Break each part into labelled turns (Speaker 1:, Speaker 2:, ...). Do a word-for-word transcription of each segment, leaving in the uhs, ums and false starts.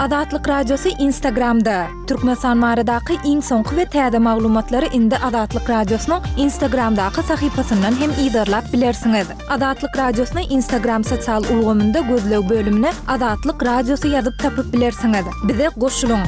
Speaker 1: Azatlyk Radiosy Instagramda. Türkmenistan baradaky iň soňky we täze maglumatlary indi Azatlyk Radiosynyň Instagramdaky sahypasyndan hem yzarlap bilersiňiz. Azatlyk Radiosyny Instagram sosial ulgamynda gözleg bölümine Azatlyk Radiosy ýazyp tapyp bilersiňiz. Bize goşulyň.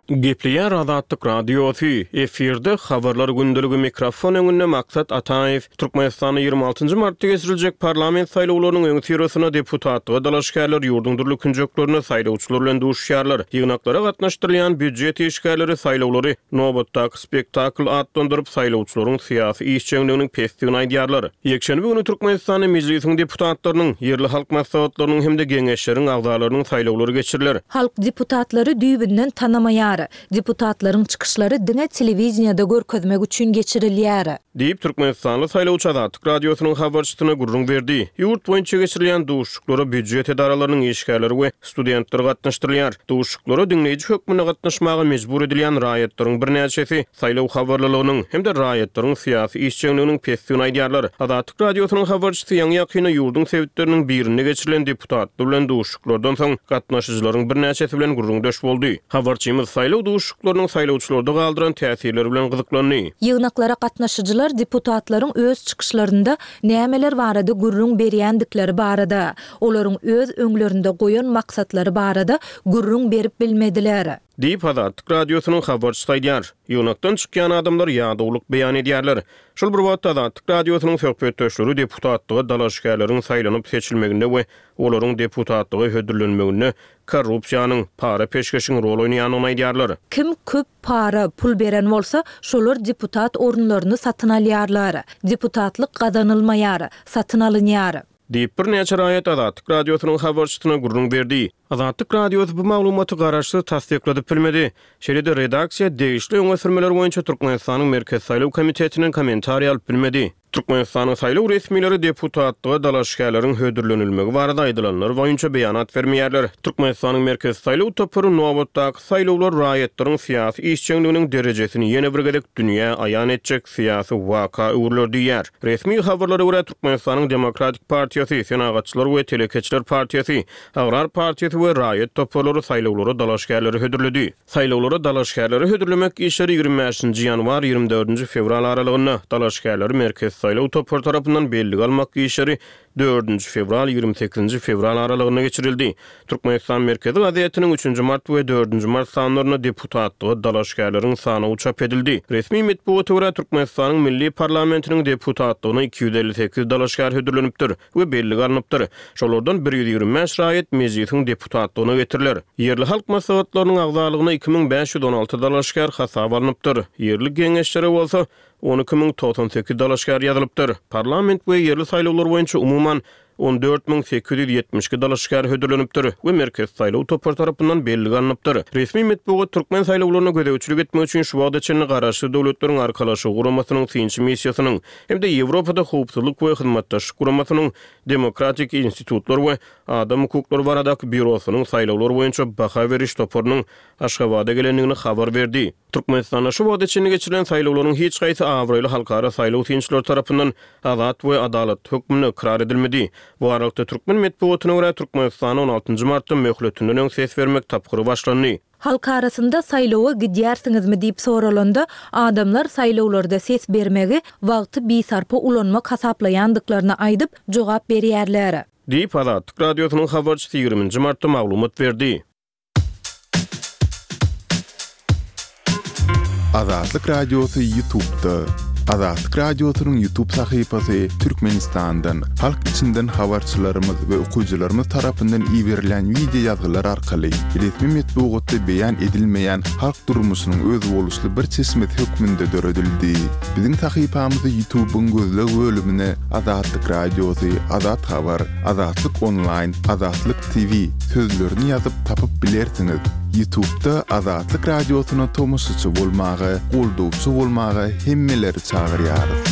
Speaker 2: Gepleýär Azatlyk Radiosy, efirde habarlar gündeligi mikrofon öňünde Maksat Ataýew. Türkmenistanda ýigrimi altynjy martda geçiriljek parlament saýlawlarynyň öňüsyrasynda deputatlyga dalaşgärler ýurduň dürli künjeklerinde saýlawçylar bilen duşuşýarlar. Ýygnaklara gatnaşdyrylýan býujet işgärleri saýlawlary nobatdaky spektakl atlandyryp, saýlawçylaryň syýasy işjeňliginiň pesdigini aýdýarlar. Ýekşenbe güni Türkmenistanda Mejlisiň deputatlarynyň, ýerli halk maslahatlarynyň hem-de geňeşleriň agzalarynyň saýlawlary geçiriler.
Speaker 1: Halk deputatlary düýbünden tanamaýar. Deputatlaryň çykyşlary diňe telewideniýede görkezmek üçin geçirilýär.
Speaker 2: Diýip, türkmenistanly saýlawçy Azatlyk Radiosynyň habarçysyna gürrüň berdi. Ýurt boýunça geçirilýän duşuşyklara býujet edaralarynyň işgärleri we studentler gatnaşdyrylýar. Duşuşyklara diňleýji hökmünde gatnaşmaga mejbur edilýän raýatlaryň birnäçesi saýlaw habarlylygynyň hem-de raýatlaryň syýasy işjeňliginiň pesdigini aýdýarlar. Azatlyk Radiosynyň habarçysy ýaňy-ýakynda ýurduň sebitleriniň birinde geçirilen deputatlar bilen duşuşyklardan soň gatnaşyjylaryň birnäçesi bilen gürrüňdeş boldy. Habarçymyz saýlaw duşuşyklarynyň saýlawçylarda galdyran täsirleri bilen gyzyklandy.
Speaker 1: Ýygnaklara gatnaşyjylar deputatlaryň öz çykyşlarynda nämeler barada gürrüň berýändikleri barada, olaryň öz öňlerinde goýan maksatlary barada gürrüň berip bilmediler.
Speaker 2: Diýip, Azatlyk Radiosynyň habarçysy aýdýar. Ýygnakdan çykýan adamlar ýadawlyk beýan edýärler. Şol bir wagtda Azatlyk Radiosynyň söhbetdeşleri deputatlyga dalaşgärleriň saýlanyp seçilmeginde we olaryň deputatlyga hödürlenmeginde korrupsiýanyň, para-peşgeşiň rol oýnaýandygyny aýdýarlar.
Speaker 1: Kim köp para, pul beren bolsa, şolar deputat orunlaryny satyn alýarlar. Deputatlyk gazanylmaýar, satyn alynýar.
Speaker 2: Diýip, birnäçe raýat Azatlyk Radiosynyň habarçysyna gürrüň berdi. Azatlyk Radiosy bu maglumaty garaşsyz tassykladyp bilmedi. Şeýle-de redaksiýa degişli öňe sürmeler boýunça Türkmenistanyň Merkezi saýlaw komitetinden kommentariý alyp bilmedi. Türkmenistanyň saýlaw resmileri deputatlyga dalaşgärleriň hödürlenilmegi barada aýdylanlar boýunça beýanat bermeýärler. Türkmenistanyň Merkezi saýlaw topary nobatdaky saýlawlar raýatlaryň syýasy işjeňliginiň derejesini ýene bir gezek dünýä aýan etjek syýasy waka öwrüler diýýär. Resmi habarlara görä, Türkmenistanyň Demokratik partiýasy, Senagatçylar we telekeçiler partiýasy, Agrar partiýasy we raýat toparlary saýlawlara dalaşgärleri hödürledi. Saýlawlara dalaşgärleri hödürlemek işleri ýigrimi bäşinji ýanwar, ýigrimi dördünji fewral aralygynda, dalaşgärleri Merkezi saýlaw topary tarapyndan bellige almak işleri dördünji fewral, ýigrimi sekizinji fewral aralygynda geçirildi. Türkmenistan Merkezi gazetiniň üçünji mart we dördünji mart sanlarynda deputatlyga dalaşgärleriň sanawy çap edildi. Resmi metbugata görä, Türkmenistanyň Milli parlamentiniň deputatlygyna iki ýüz elli sekiz dalaşgär hödürlenipdir we bellige alnypdyr. Şolardan bir ýüz ýigrimi bäş raýat Mejlisiň deputatlygyna getiriler. Ýerli halk maslahatlarynyň agzalygyna iki müň bäş ýüz on alty dalaşgär hasaba alnypdyr. Ýerli geňeşlere bolsa on iki müň togsan sekiz dalaşgär ýazylypdyr. Parlament we ýerli saýlawlar boýunça umuman on dört müň sekiz ýüz ýetmiş iki dalaşgär hödürlenipdir we Merkezi saýlaw topary tarapyndan bellige alnypdyr. Resmi metbugat türkmen saýlawlaryna gözegçilik etmek üçin şu wagta çenli Garaşsyz Döwletleriň Arkalaşygy Guramasynyň synçy missiýasynyň hem-de Ýewropada Howpsuzlyk we Hyzmatdaşlyk Guramasynyň Demokratik institutlar we adam hukuklary baradaky býurosynyň saýlawlar boýunça baha beriş toparynyň Aşgabada gelendigini habar berdi. Türkmenistanda şu wagta çenli geçirilen saýlawlaryň hiç haýsy abraýly halkara saýlaw synçylary tarapyndan azat we adalatly hökmünde ykrar edilmedi. Bu aralykda türkmen metbugatyna görä Türkmenistanda on altynjy martda möhletinden öň ses bermek tapgyry başlandy.
Speaker 1: Halk arasynda saýlawa gidýärsiňizmi diýip soralanda, adamlar saýlawlarda ses bermegi wagty bisarpa ulanmak hasaplaýandyklaryny aýdyp, jogap berýärler.
Speaker 2: Diýip, Azatlyk Radiosynyň habarçysy ýigriminji martda maglumat berdi.
Speaker 3: Azatlyk Radiosy YouTube'da. Azatlyk Radiosynyň YouTube sahypasy Türkmenistandan, halk içinden habarçylarymyz we okyjylarymyz tarapyndan iberilen wideo ýazgylar arkaly resmi metbugatda beýan edilmeýän halk durmuşynyň özboluşly bir çeşmesi hökmünde döredildi. Biziň sahypamyzy YouTube'yň gözleg bölümine Azatlyk Radiosy, Azat Habar, Azatlyk Online, Azatlyk T V sözlerini ýazyp tapyp bilersiňiz. YouTube'da Azatlyk Radiosyna tomaşaçy bolmaga, goldawçy bolmaga hemmeleri çagyrýarys.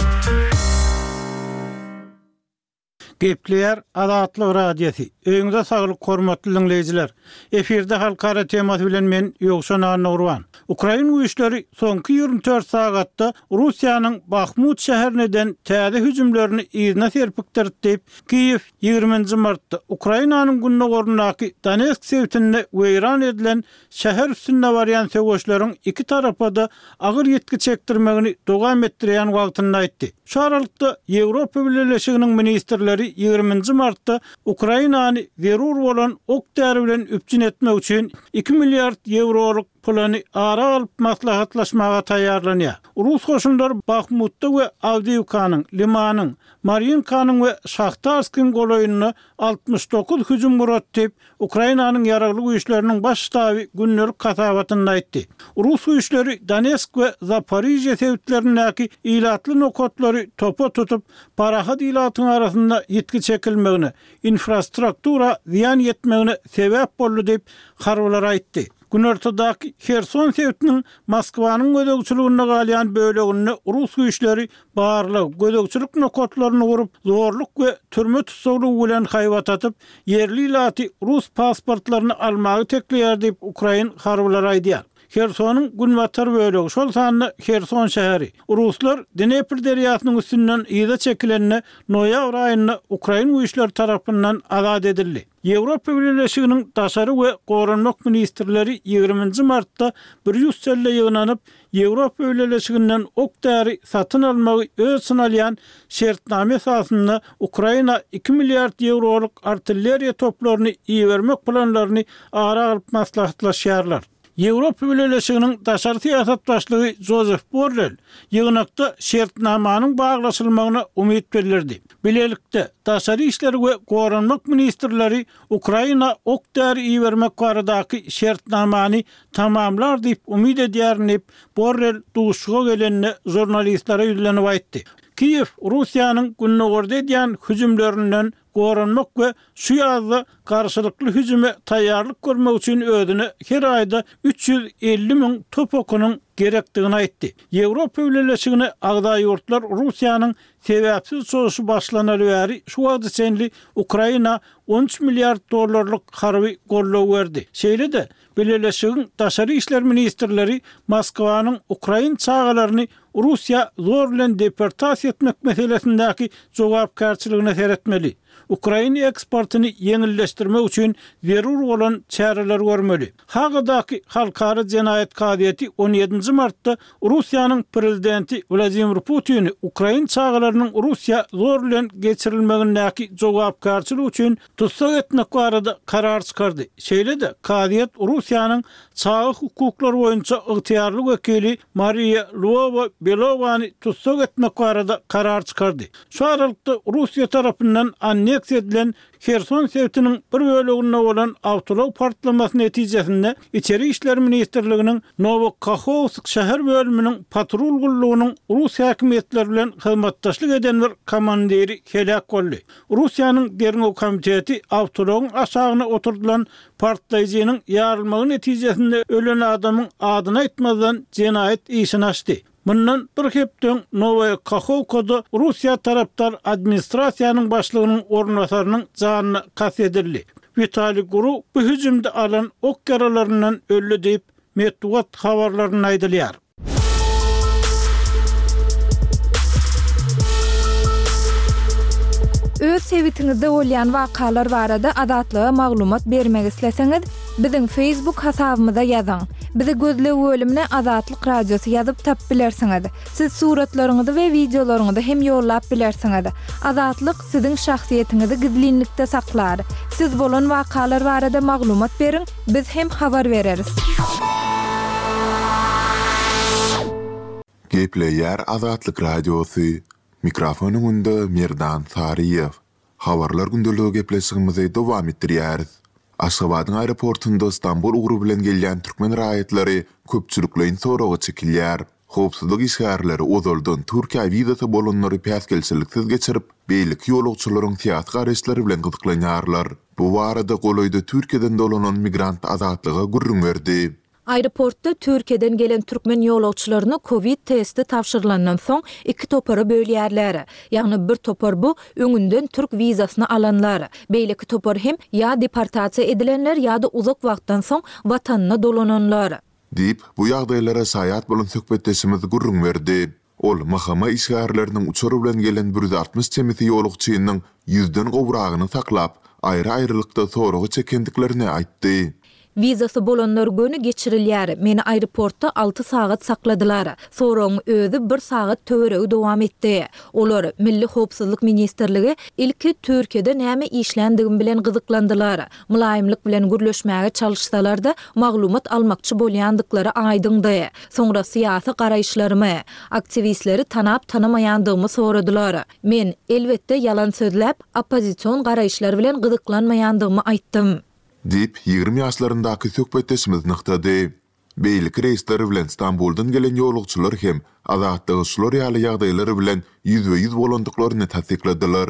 Speaker 4: Gepleýär Azatlyk Radiosy. Öýüňize saglyk hormatly diňleýjiler. Efirde halkara temasy bilen men Ýowşan Annagurban. Ukrain güýçleri soňky ýigrimi dört sagatda Russiýanyň Bahmut şäherine eden täze hüjümlerini yzyna serpikdirdi diýip, Kiýew ýigriminji martda Ukrainanyň gündogaryndaky Donetsk sebitinde weýran edilen şäher üstünde barýan söweşleriň iki tarapa-da agyr ýitgi çekdirmegini dowam etdirýän wagtynda aýtdy. Şu aralykda Ýewropa Bileleşiginiň ministrleri ýigriminji martda Ukrainany zerur bolan ok-däri bilen üpjün etmek üçin iki milliard ýewrolyk plany ara alyp maslahatlaşmaga taýýarlanýar. Rus goşunlary Bahmutda we Awdiýewkanyň, Limanyň, Marýinkanyň we Şahtarskiň golaýynda altmyş dokuz hüjüm gurady diýip, Ukrainanyň Ýaragly Güýçleriniň Baş ştaby gündelik hasabatynda aýtdy. Rus güýçleri Donetsk we Zaporižýe sebitlerindäki ilatly nokatlary topa tutup, parahat ilatyň arasynda ýitgi çekilmegine, infrastruktura zyýan ýetmegine sebäp boldy diýip, harbylar aýtdy. Günortadaky Herson sebitiniň Moskwanyň gözegçiliginde galýan böleginde rus güýçleri barlag, gözegçilik nokatlaryny gurup, zorluk we türme tussaglygy bilen haýbat atyp, ýerli ilaty rus pasportlaryny almagy tekleýär diýip, ukrain harbylary aýdýar. Hersonyň günbatar bölegi, şol sanda Herson şäheri, ruslar Dnepr derýasynyň üstünden yza çekilende noýabr aýynda ukrain güýçleri tarapyndan azat edildi. Ýewropa Bileleşiginiň daşary we goranmak ministrleri ýigriminji martda Brýusselde ýygnanyp, Ýewropa Bileleşiginden ok-däri satyn almagy öz içine alýan şertnama esasynda Ukraina iki milliard ýewrolyk artilleriýa toplaryny ibermek planlaryny ara alyp maslahatlaşýarlar. Ýewropa Bileleşiginiň daşary syýasat başlygy Jozef Borrell ýygnakda şertnamanyň baglaşylmagyna umyt bildirdi. Bilelikde, daşary işler we goranmak ministrleri Ukraina ok-däri ibermek baradaky şertnamany tamamlar diýip umyt edýärin diýip, Borrell duşuşyga gelende žurnalistlere ýüzlenip aýtdy. Kiýew Russiýanyň gündogarda edýän hüjümlerinden goranmak we şu ýazda garşylykly hüjüme taýýarlyk görmek üçin özüne her aýda üç ýüz elli müň top okunyň gerekdigini aýtdy. Ýewropa Bileleşigine agza ýurtlar Russiýanyň sebäpsiz çozuşy başlanaly bäri şu wagta çenli Ukraina on üç milliard dollarlyk harby goldaw berdi. Şeýle-de, Bileleşigiň daşary işler ministrleri Moskwanyň ukrain çagalaryny Russiýa zor bilen deportasiýa etmek meselesindäki jogapkärçiligine seretmeli, ukrain eksportyny ýeňilleşdirmek üçin zerur bolan çäreleri görmeli. Hagadaky Halkara jenaýat kazyýeti on ýedinji martda Russiýanyň prezidenti Wladimir Putini ukrain çagalarynyň Russiýa zor bilen geçirilmegindäki jogapkärçilik üçin tussag etmek barada karar çykardy. Şeýle-de, kazyýet Russiýanyň çaga hukuklary boýunça ygtyýarly wekili Mariýa Lwowa-Belowany tussag etmek barada karar çykardy. Şu aralykda Russiýa tarapyndan anneksiýa edilen Herson sebitiniň bir böleginde bolan awtoulag partlamasy netijesinde Içeri işler ministrliginiň Nowokahovsk şäher bölüminiň patrul gullugynyň rus häkimiýetleri bilen hyzmatdaşlyk eden bir komandiri heläk boldy. Russiýanyň derňew komiteti awtoulagyň aşagyna oturdylan partlaýjynyň ýarylmagy netijesinde ölen adamyň adyny aýtmazdan jenaýat işini açdy. Mundan bir hepde öň Nowaýa Kahowkada Russiýa tarapdar administrasiýanyň başlygynyň orunbasarynyň janyna kast edildi. Witaliý Guru bu hüjümde alan ok ýaralaryndan öldi diýip, metbugat habarlarynda aýdylýar.
Speaker 1: Öz sebitiňizde bolýan wakalar barada Azatlyga maglumat bermek isleseňiz, biziň Facebook hasabymyza ýazyň. Bizi gözleg bölümine Azatlyk Radiosy ýazyp tapyp bilersiňiz. Siz suratlaryňyzy we wideolaryňyzy hem ýollap bilersiňiz. Azatlyk siziň şahsyýetiňizi gizlinlikde saklar. Siz bolan wakalar barada maglumat beriň, biz hem habar bereris.
Speaker 3: Gepleýär Azatlyk Radiosy. Mikrofon öňünde Merdan Saryýew. Habarlar gündeligi gepleşigimizi dowam etdirýäris. Aşgabadyň aeroportunda Stambul ugry bilen gelýän türkmen raýatlary köpçülikleýin soraga çekilýär. Howpsuzlyk işgärleri ozaldan Türkiýä wizasy bolanlary päsgelçiliksiz geçirip, beýleki ýolagçylaryň syýasy garaýyşlary bilen gyzyklanýarlar. Bu barada golaýda Türkiýeden dolanan migrant Azatlyga gürrüň berdi.
Speaker 1: Aeroportda Türkiýeden gelen türkmen ýolagçylaryny kowid testi tabşyrylandan soň iki topara bölýärler. Ýagny bir topar bu öňünden türk wizasyny alanlar. Beýleki topar hem ýa deportasiýa edilenler ýa-da uzak wagtdan soň watanyna dolananlar.
Speaker 3: Diýip, bu ýagdaýlara şaýat bolan söhbetdeşimiz gürrüň berdi. Ol M H M işgärleriniň uçar bilen gelen bir ýüz altmyş çemesi ýolagçynyň ýüzden gowragyny saklap, aýry-aýrylykda soraga çekendiklerini aýtdy.
Speaker 1: Wizasy bolanlar göni geçirilýär. Meni aeroportda alty sagat sakladylar. Soragyň özi bir sagat töweregi dowam etdi. Olar, Milli howpsuzlyk ministrligi, ilki Türkiýede näme işländigim bilen gyzyklandylar. Mylaýymlyk bilen gürleşmäge çalyşsalar-da, maglumat almakçy bolýandyklary aýdyňdy. Soňra syýasy garaýyşlarymy, aktiwistleri tanap-tanamaýandygymy soradylar. Men, elbetde, ýalan sözläp, oppozision garaýyşlar bilen gyzyklanmaýandygymy aýtdym.
Speaker 3: Diýip, ýigrimi ýaşlaryndaky söhbetdeşimiz nygtady. Beýleki reýsler bilen Stambuldan gelen ýolagçylar hem Azatlyga şular ýaly ýagdaýlar bilen ýüzbe-ýüz bolandyklaryny tassykladylar.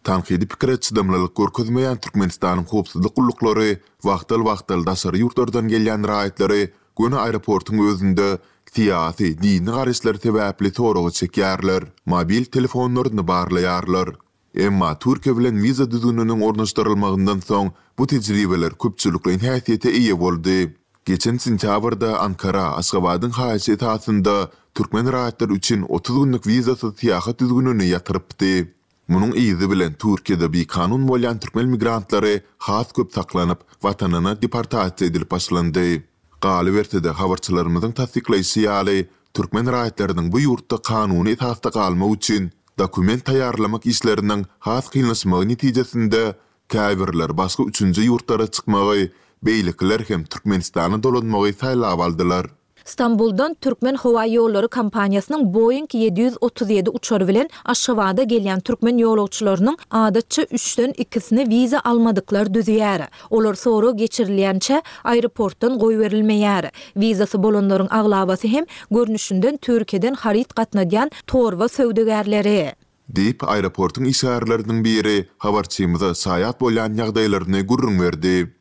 Speaker 3: Tankydy pikire çydamlylyk görkezmeýän Türkmenistanyň howpsuzlyk gulluklary wagtal-wagtal daşary ýurtlardan gelýän raýatlary göni aeroportuň özünde syýasy, dini garaýyşlary sebäpli soraga çekýärler, mobil telefonlaryny barlaýarlar. Emma Türkiýe bilen wiza düzgüniniň ornaşdyrylmagyndan soň bu tejribeler köpçülikleýin häsiýete eýe boldy. Geçen sentýabrda Ankara Aşgabadyň haýyşy esasynda türkmen raýatlary üçin otuz günlük wizasyz syýahat düzgünini ýatyrypdy. Munuň yzy bilen Türkiýede bikanun bolýan türkmen migrantlary has köp saklanyp, watanyna deportasiýa edilip başlandy. Galyberse-de, habarçylarymyzyň tassyklaýşy ýaly, türkmen raýatlarynyň bu ýurtda kanuny esasda galmak üçin dokument taýýarlamak işleriniň has kynlaşmagy netijesinde käbirler başga üçünji ýurtlara çykmagy, beýlekiler hem Türkmenistana dolanmagy saýlap aldylar.
Speaker 1: Stambuldan Türkmen howa ýollary kompaniýasynyň Boeing ýedi ýüz otuz ýedi uçary bilen Aşgabada gelýän türkmen ýolagçylarynyň adatça üçden ikisini wiza almadyklar düzýär. Olar sorag geçirilýänçä aeroportdan goýberilmeýär. Wizasy bolanlaryň aglabasy hem görnüşinden Türkiýeden haryt gatnadýan torba söwdagärleri.
Speaker 3: Diýip, aeroportuň işgärleriniň biri habarçymyza şaýat bolýan ýagdaýlaryny gürrüň berdi.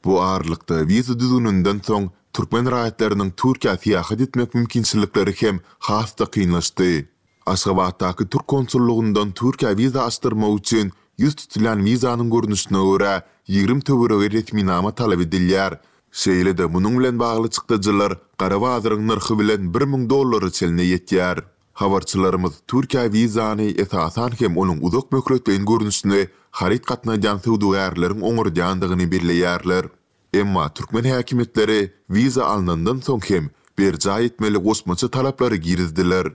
Speaker 3: Bu aralykda wiza düzgüninden soň türkmen raýatlarynyň Türkiýä syýahat etmek mümkinçilikleri hem has-da kynlaşdy. Aşgabatdaky türk konsullugyndan Türkiýä wiza açdyrmak üçin ýüz tutulýan wizanyň görnüşine görä ýigrimi töweregi resminama talap edilýär. Şeýle-de munuň bilen bagly çykdajylar gara bazaryň nyrhy bilen bir müň dollara çenli ýetýär. Habarçylarymyz Türkiýä wizany esasan hem onuň uzak möhletleýin görnüşini haryt gatnadýan söwdagärleriň oňardýandygyny belleýärler. Emma türkmen häkimiýetleri wiza alnandan soň hem berjaý etmeli goşmaça talaplary girizdiler.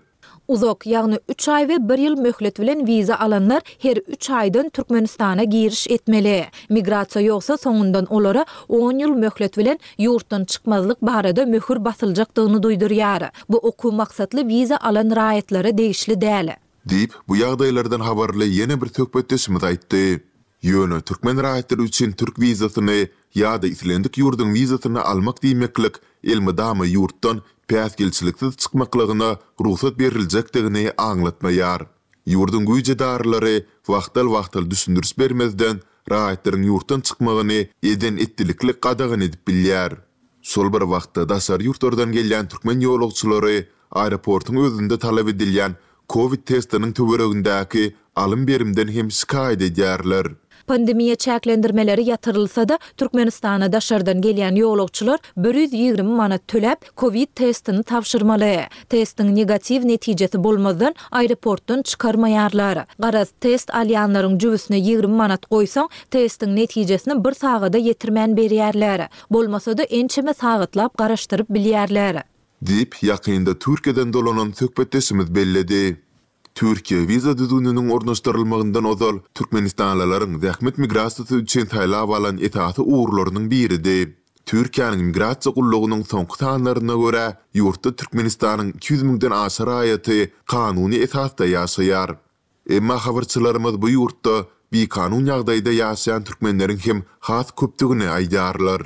Speaker 1: Uzak, ýagny üç aý we bir ýyl möhlet bilen wiza alanlar her üç aýdan Türkmenistana giriş etmeli. Migrasiýa ýogsa soňundan olara on ýyl möhlet bilen ýurtdan çykmazlyk barada möhür basyljakdygyny duýdurýar. Bu okuw maksatly wiza alan raýatlara degişli däl.
Speaker 3: Diýip, bu ýagdaýlardan habarly ýene bir söhbetdeşimiz aýtdy. Ýöne türkmen raýatlary üçin türk wizasyny ýa-da islendik ýurduň wizasyny almak diýmeklik elmydama ýurtdan päsgelçiliksiz çykmaklygyna rugsat beriljekdigini aňlatmaýar. Ýurduň güýç edaralary wagtal-wagtal düşündiriş bermezden raýatlaryň ýurtdan çykmagyny eden etdilikli gadagan edip bilýär. Şol bir wagtda daşary ýurtlardan gelýän türkmen ýolagçylary aeroportuň özünde talap edilýän Covid testiniň töweregindäki alym berimden hem şikaýat edýärler.
Speaker 1: Pandemiýa çäklendirmeleri ýatyrylsa-da, Türkmenistana daşardan gelýän ýolagçylar bir ýüz ýigrimi manat töläp, Covid testini tabşyrmaly. Testiň negatiw netijesi bolmazdan aeroportdan çykarmaýarlar. Garaz, test alýanlaryň jübüsine ýigrimi manat goýsaň, testiň netijesini bir sagada ýetirmän berýärler. Bolmasa-da ençeme sagatlap garaşdyryp bilýärler.
Speaker 3: Diýip, ýakynda Türkiýeden dolanan söhbetdeşimiz belledi. Türkiýe wiza düzgüniniň ornaşdyrylmagyndan ozal türkmenistanlylaryň zähmet migrasiýasy üçin saýlap alan esasy ugurlarynyň biridi. Türkiýäniň migrasiýa gullugynyň soňky sanlaryna görä, ýurtda Türkmenistanyň iki ýüz müňden aşa raýaty kanuny esasda ýaşaýar. Emma habarçylarymyz bu ýurtda bikanun ýagdaýda ýaşaýan türkmenleriň hem has köpdügini aýdýarlar.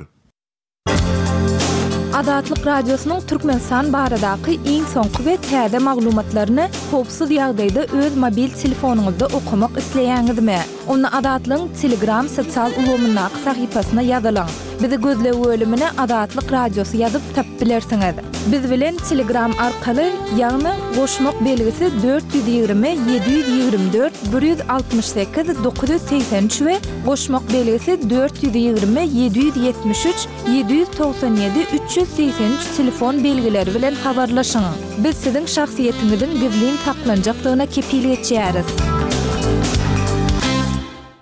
Speaker 1: Azatlyk Radiosynyň Türkmenistan baradaky iň soňky we täze maglumatlaryny howpsuz ýagdaýda öz mobil telefonyňyzda okamak isleýäňizmi? Onda Azatlygyň Telegram sosial ulgamyndaky sahypasyna ýazylyň. Bizi gözleg bölümine Azatlyk Radiosy ýazyp tapyp bilersiňiz. Biz bilen Telegram arkaly, ýagny goşmak belgisi dört ýüz ýigrimi ýedi ýüz ýigrimi dört bir ýüz altmyş sekiz dokuz ýüz segsen üç we goşmak belgisi dört ýüz ýigrimi ýedi ýüz ýetmiş üç ýedi ýüz togsan ýedi üç ýüz segsen üç telefon belgileri bilen habarlaşyň. Biz siziň şahsyýetiňiziň gizlin saklanjakdygyna kepil geçýäris.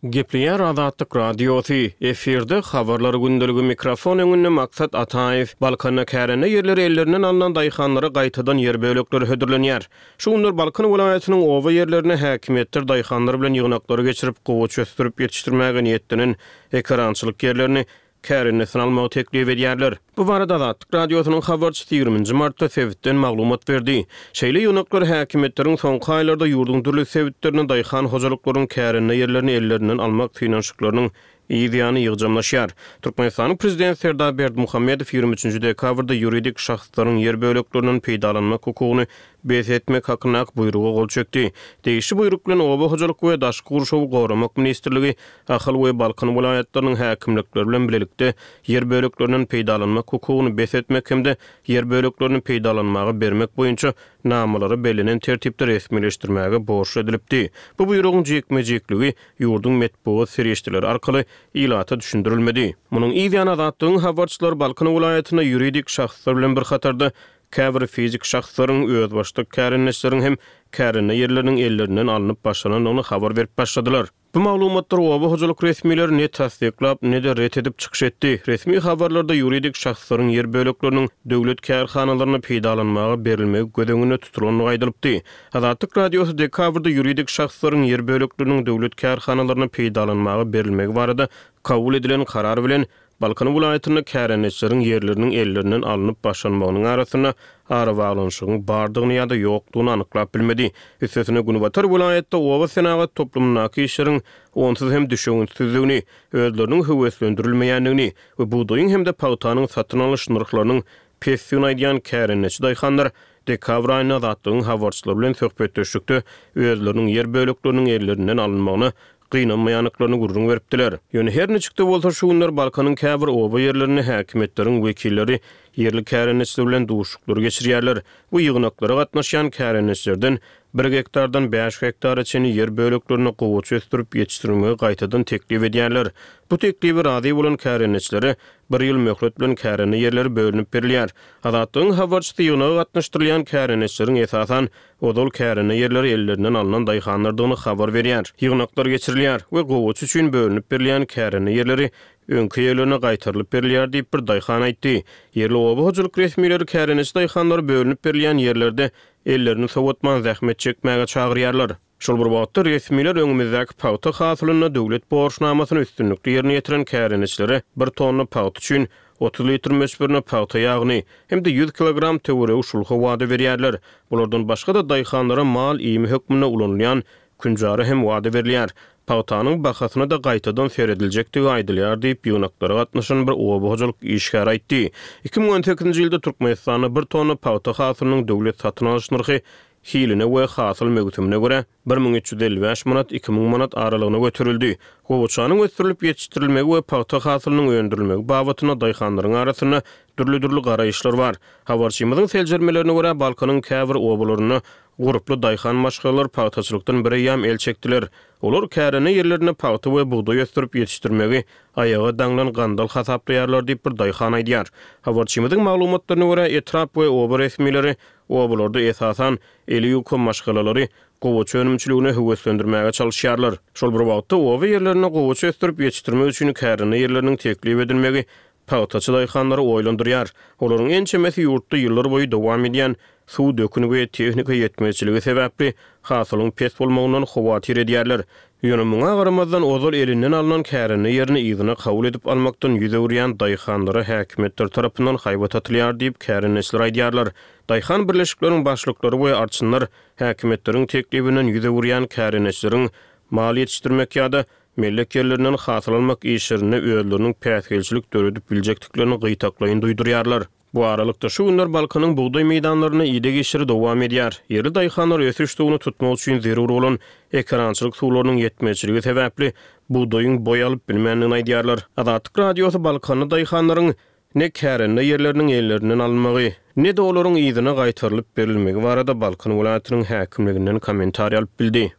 Speaker 2: Gepleýär Azatlyk Radiosy, efirde Habarlar gündeligi, mikrofon öňünde Maksat Ataýew. Balkanda kärende ýerleri ellerinden alnan daýhanlara gaýtadan ýer bölekleri hödürlenýär. Şu günler Balkan welaýatynyň oba ýerlerinde häkimiýetler daýhanlar bilen ýygnaklary geçirip, gowaça ösdürip ýetişdirmäge niýetlenen ekerançylyk ýerlerini kärendesine almagy teklip edýärler. Bu barada Azatlyk Radiosynyň habarçysy ýigriminji martda sebitden maglumat berdi. Şeýle ýygnaklar häkimiýetleriň soňky aýlarda ýurduň dürli sebitlerinde daýhan hojalyklaryň kärende ýerlerini ellerinden almak synanyşyklarynyň yz ýany ýygjamlaşýar. Türkmenistanyň Prezidenti Serdar Berdimuhamedow ýigrimi üçünji dekabrda ýuridik şahslaryň ýer böleklerinden peýdalanmak hukugyny bes etmek hakyndaky buýruga gol çekdi. Degişli buýruk bilen Oba hojalyk we daşky gurşawy goramak ministrligi Ahal we Balkan welaýatlarynyň häkimlikleri bilen bilelikde ýer böleklerinden peýdalanmak hukugyny bes etmek hem-de ýer böleklerini peýdalanmaga bermek boýunça namalary bellenen tertipde resmileşdirmäge borçly edilipdi. Bu buýrugyň jikme-jikligi ýurduň metbugat serişdeleri arkaly ilata düşündirilmedi. Munuň yz ýany Azatlygyň habarçylary Balkan welaýatynda ýuridik şahslar bilen bir hatarda käbir fizik şahslaryň, özbaşdak kärendeçileriň hem kärende ýerleriniň ellerinden alnyp başlanandygyny habar berip başladylar. Bu maglumatlar oba hojalyk resmileri ne tassyklap, ne-de ret edip çykyş etdi. Resmi habarlarda ýuridik şahslaryň ýer bölekleriniň döwlet kärhanalaryna peýdalanmaga berilmegi göz öňünde tutulandygy aýdylypdy. Azatlyk Radiosy dekabrda ýuridik şahslaryň ýer bölekleriniň döwlet kärhanalaryna peýdalanmaga berilmegi barada kabul edilen karar bilen Balkan welaýatynda kärendeçileriň ýerleriniň ellerinden alnyp başlanmagynyň arasynda arabaglanyşygyň bardygyny ýa-da ýokdugyny anyklap bilmedi. Üstesine Günbatar welaýatda oba senagat toplumyndaky işleriň onsuz hem düşewüntsizligini, özleriniň höweslendirilmeýändigini we bugdaýyň hem-de pagtanyň satyn alyş nyrhlarynyň pesdigini aýdýan kärendeçi daýhanlar dekabr aýynda Azatlygyň habarçylary bilen söhbetdeşlikde özleriniň ýer bölekleriniň ellerinden alynmagyna gynanmaýandyklaryny gürrüň beripdiler. Ýöne her niçik-de bolsa şu günler Balkanyň käbir oba ýerlerinde häkimiýetleriň wekilleri ýerli kärendeçiler bilen duşuşyklary geçirýärler. Bu ýygnaklara gatnaşýan kärendeçilerden bir gektardan bäş gektara çenli ýer böleklerine gowaça ösdürip ýetişdirmegi gaýtadan teklip edýärler. Bu teklibe razy bolan kärendeçilere bir ýyl möhlet bilen kärende ýerleri bölünip berilýär. Azatlygyň habarçysy ýygnaga gatnaşdyrylýan kärendeçileriň esasan ozal kärende ýerleri ellerinden alnan daýhanlardygyny habar berýär. Ýygnaklar geçirilýär we gowaça üçin bölünip berilýän kärende ýerleri öňki ýerlerine gaýtarylyp berilýär diýip bir daýhan aýtdy. Ýerli oba hojalyk resmileri kärendeçi daýhanlary bölünip berilýän ýerlerde ellerini sowatman zähmet çekmäge çagyrýarlar. Şol bir wagtda resmiler öňümizdäki pagta hasylynda döwlet borçnamasyny üstünlikli ýerine ýetiren kärendeçilere bir tonna pagta üçin otuz litr möçberinde pagta ýagyny hem-de ýüz kilogram töweregi şulha wada berýärler. Bulardan başga-da daýhanlara mal iými hökmünde ulanylýan künjara hem wada berilýär. Pagtanyň bahasyna da gaýtadan serediljekdigi aýdylýar diýip ýygnaklara gatnaşan bir oba hojalyk işgäri aýtdy. Iki müň on sekizinji ýylda Türkmenistanda bir tonna pagta hasylynyň döwlet satyn alyş nyrhy hiline we hasyl möwsümine görä bir müň üç ýüz elli bäş manat, iki müň manat aralygyna göterildi. Gowaçanyň ösdürilip ýetişdirilmegi we pagta hasylynyň öndürilmegi babatynda daýhanlaryň arasynda dürli-dürli garaýyşlar bar. Habarçymyzyň seljermelerine görä Balkanyň käbir obalarynda gurply daýhan maşgalalar pagtaçylykdan bir eýýäm el çekdiler. Olar kärende ýerlerinde pagta we bugdaý ösdürip ýetişdirmegi aýaga daňlan gandal hasaplaýarlar diýip bir daýhan aýdýar. Habarçymyzyň maglumatlaryna görä etrap we oba resmileri obalarda esasan eli ýuka maşgalalary gowaça önümçiligine höweslendirmäge çalyşýarlar. Şol bir wagtda oba ýerlerinde gowaça ösdürip ýetişdirmek üçin kärende ýerleriniň teklip edilmegi pagtaçy daýhanlary oýlandyrýar. Olaryň ençemesi ýurtda ýyllar boýy dowam edýän suw döküni we tehnika ýetmezçiligi sebäpli hasylyň pes bolmagyndan howatyr edýärler. Ýöne muňa garamazdan ozal elinden alnan kärende ýerini yzyna kabul edip almakdan ýüz öwürýän daýhanlara häkimiýetler tarapyndan haýbat atylýar diýip kärendeçiler aýdýarlar. Daýhan birleşikleriň başlyklary we arçynlar häkimiýetleriň teklibinden ýüz öwürýän kärendeçileriň mal ýetişdirmek ýa-da mellek ýerlerinden hasyl almak işlerinde özleriniň päsgelçilik döredip biljekdiklerini gyýtaklaýyn duýdurýarlar. Bu aralykda, şu günler Balkanyň bugdaý meýdanlarynda ideg işleri dowam edýär. Ýerli daýhanlar ösüş suwuny tutmak üçin zerur bolan ekerançylyk suwlarynyň ýetmezçiligi sebäpli bugdaýyň boý alyp bilmändigini aýdýarlar. Azatlyk Radiosy balkanly daýhanlaryň ne kärende ýerleriniň ellerinden alynmagy, ne-de olaryň yzyna gaýtarylyp berilmegi barada Balkan welaýatynyň häkimliginden kommentariý alyp bildi.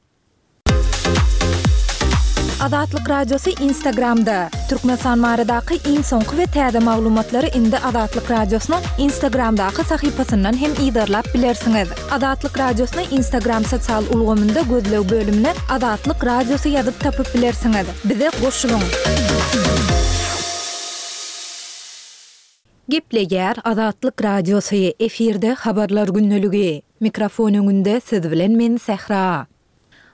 Speaker 1: Azatlyk Radiosy Instagramda, Türkmenistan baradaky iň soňky we täze maglumatlary indi Azatlyk Radiosynyň Instagramdaky sahypasyndan hem yzarlap bilersiňiz. Azatlyk Radiosyny Instagram sosial ulgamynda gözleg bölümine Azatlyk Radiosy ýazyp tapyp bilersiňiz. Bize goşulyň! Gepleýär Azatlyk Radiosy, efirde Habarlar gündeligi. Mikrofon öňünde siz bilen men Sähra.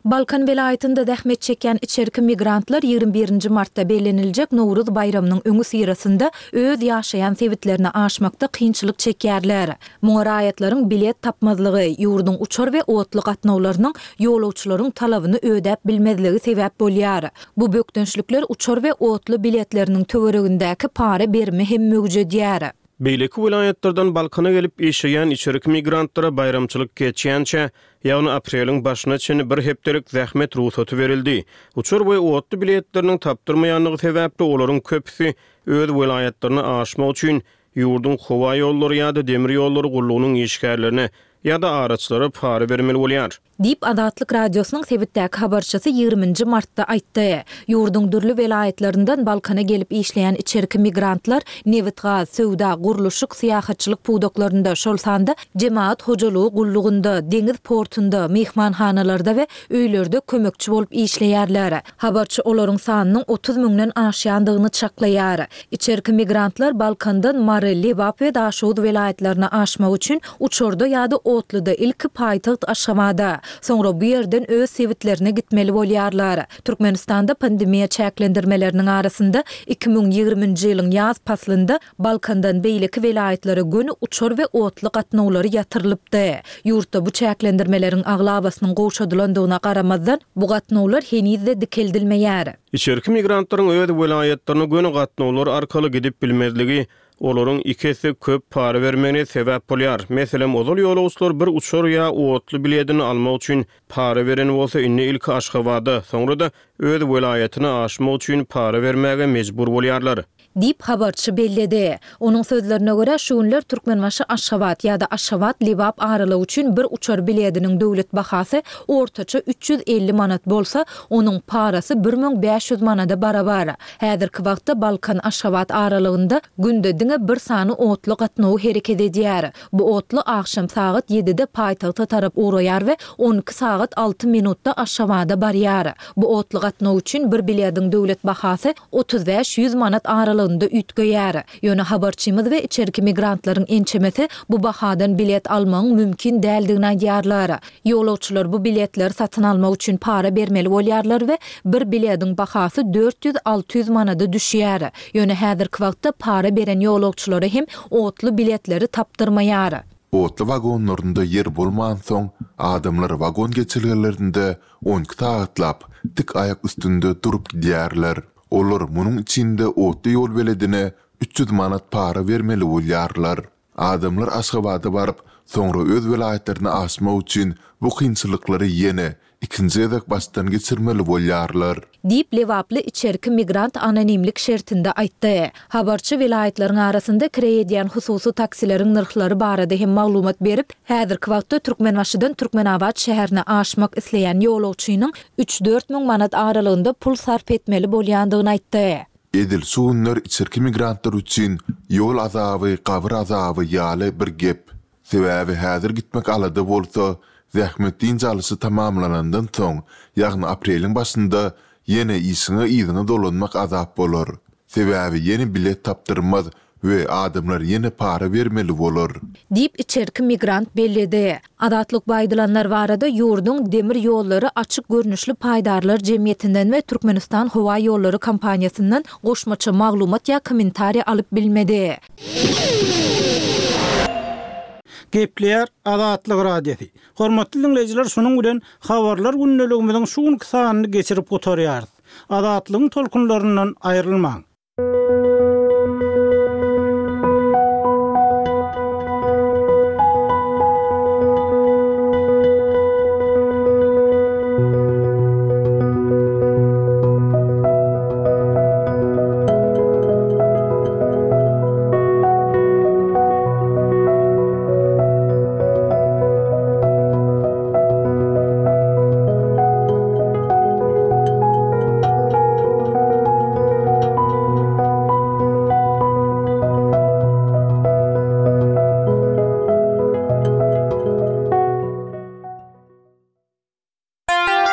Speaker 1: Balkan welaýatynda zähmet çekýän içerki migrantlar ýigrimi birinji martda belleniljek Nowruz baýramynyň öňüsyrasynda öz ýaşaýan sebitlerine aşmakda kynçylyk çekýärler. Muňa raýatlaryň bilet tapmazlygy, ýurduň uçar we otly gatnawlarynyň ýolagçylaryň talabyny ödäp bilmezligi sebäp bolýar. Bu bökdençlikler uçar we otly biletleriniň töweregindäki para berimi hem möwjedýär.
Speaker 2: Beýleki welaýatlardan Balkana gelip işleýän içerki migrantlara baýramçylyk geçýänçä, ýagny apreliň başyna çenli bir hepdelik zähmet rugsaty berildi. Uçar we otly biletleriniň tapdyrmaýandygy sebäpli olaryň köpüsi öz welaýatlaryna aşmak üçin ýurduň howa ýollary ýa-da demir ýollary gullugynyň işgärlerine ýa-da araçylara para bermeli bolýar.
Speaker 1: Diýip, Azatlyk Radiosynyň sebitdäki habarçysy ýigriminji martda aýtdy. Ýurduň dürli welaýatlaryndan Balkana gelip işleýän içerki migrantlar nebitgaz, söwda, gurluşyk, syýahatçylyk pudaklarynda, şol sanda jemagat hojalygy gullugynda, deňiz portunda, myhmanhanalarda we öýlerde kömekçi bolup işleýärler. Habarçy olaryň sanynyň otuz müňden aşýandygyny çaklaýar. Içerki migrantlar Balkandan Mary, Lebap we Daşoguz welaýatlaryna aşmak üçin uçarda ýa-da otluda ilki paýtagt Aşgabada, soňra bu ýerden öz sebitlerine gitmeli bolýarlar. Türkmenistanda pandemiýa çäklendirmeleriniň arasynda iki müň ýigriminji ýylyň ýaz paslynda Balkandan beýleki welaýatlara göni uçar we otly gatnawlary ýatyrylypdy. Ýurtda bu çäklendirmeleriň aglabasynyň gowşadylandygyna garamazdan, bu gatnawlar heniz-de dikeldilmeýär.
Speaker 2: Içerki migrantlaryň öz welaýatlaryna göni gatnawlar arkaly gidip bilmezligi olaryň iki esse köp para bermegine sebäp bolýar. Meselem, ozal ýolagçylar bir uçar ýa otly biledini almak üçin para beren bolsa, indi ilki Aşgabada, soňra-da öz welaýatyna aşmak üçin para bermäge mejbur bolýarlar.
Speaker 1: Diýip, habarçy belledi. Onuň sözlerine görä, şu günler Türkmenbaşy-Aşgabat ýa-da Aşgabat-Lebap aralygy üçin bir uçar bilediniň döwlet bahasy ortaça üç ýüz elli manat bolsa, onuň parasy bir müň bäş ýüz manada barabar. Häzirki wagtda Balkan-Aşgabat aralygynda günde diňe bir sany otly gatnawy hereket edýär. Bu otly agşam sagat ýedide paýtagta tarap ugraýar we on iki sagat alty minutda Aşgabada barýar. Bu otly gatnaw üçin bir bilediň döwlet bahasy otuz bäş ýüz manat aralygynda üýtgeýär. Ýöne habarçymyz we içerki migrantlaryň ençemesi bu bahadan bilet almagyň mümkin däldigini aýdýarlar. Ýolagçylar bu biletleri satyn almak üçin para bermeli bolýarlar we bir bilediň bahasy dört ýüz alty ýüz manada düşýär. Ýöne häzirki wagtda para beren ýolagçylara hem otly biletleri tapdyrmaýar.
Speaker 3: Otly wagonlarynda ýer bolmansoň, adamlar wagon geçelgelerinde on iki sagatlap tik aýak üstünde durup gidýärler. Olar munuň içinde otly ýol beledine üç ýüz manat para bermeli bolýarlar. Adamlar Aşgabada baryp, soňra öz welaýatlaryna aşmak üçin bu kynçylyklary ýene ikinji gezek başdan geçirmeli bolýarlar.
Speaker 1: Diýip, lebaply içerki migrant anonimlik şertinde aýtdy. Habarçy welaýatlaryň arasynda kireý edýän hususy taksileriň nyrhlary barada hem maglumat berip, häzirki wagtda Türkmenbaşydan Türkmenabat şäherine aşmak isleýän ýolagçynyň üç-dört müň manat aralygynda pul sarp etmeli bolýandygyny aýtdy.
Speaker 3: Edil şu günler içerki migrantlar üçin ýol azaby, gabyr azaby ýaly bir gep. Sebäbi häzir gitmek alada bolsa, zähmet dynç alyşy tamamlanandan soň, ýagny apreliň başynda ýene işiňe yzyňa dolanmak azap bolar. Sebäbi ýene bilet tapdyrmaz we adamlar ýene para bermeli bolar.
Speaker 1: Diýip, içerki migrant belledi. Azatlyk bu aýdylanlar barada ýurduň Demir ýollary açyk görnüşli paýdarlar jemgyýetinden we Türkmenistan howa ýollary kompaniýasyndan goşmaça maglumat ýa kommentariýa alyp bilmedi.
Speaker 4: Gepleýär Azatlyk Radiosy. Hormatly diňleýjiler, şunuň bilen habarlar gündeligimiziň şu günki sanyny geçirip gutarýarys. Azatlygyň tolkunlaryndan aýrylmaň.